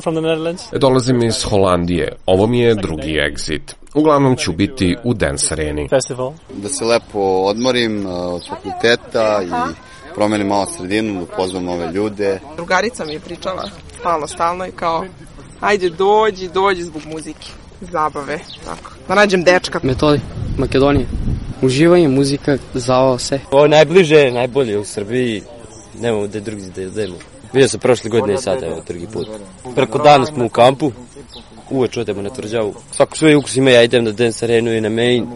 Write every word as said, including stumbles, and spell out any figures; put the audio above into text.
From the Netherlands. Dolazim iz Holandije. Ovo mi je drugi exit. Uglavnom ću biti u Dance Areni. Festival. Da se lepo odmorim od fakulteta i promenim malo sredinu, da upoznam nove ljude. Drugarica mi je pričala stalno, stalno i kao ajde dođi, dođi zbog muzike, zabave, tako. Da nađem dečka. Metodi, Makedonije. Uživanje, muzika, zavao se. Ovo je najbliže, najbolje u Srbiji. Nemamo gde drugi da idemo. Vidio sam prošle godine i sada, evo, drugi put. Preko dana smo u kampu, uveč odemo na tvrđavu. Svako svoj ukus ima, ja idem na Dance Arenu i na Main.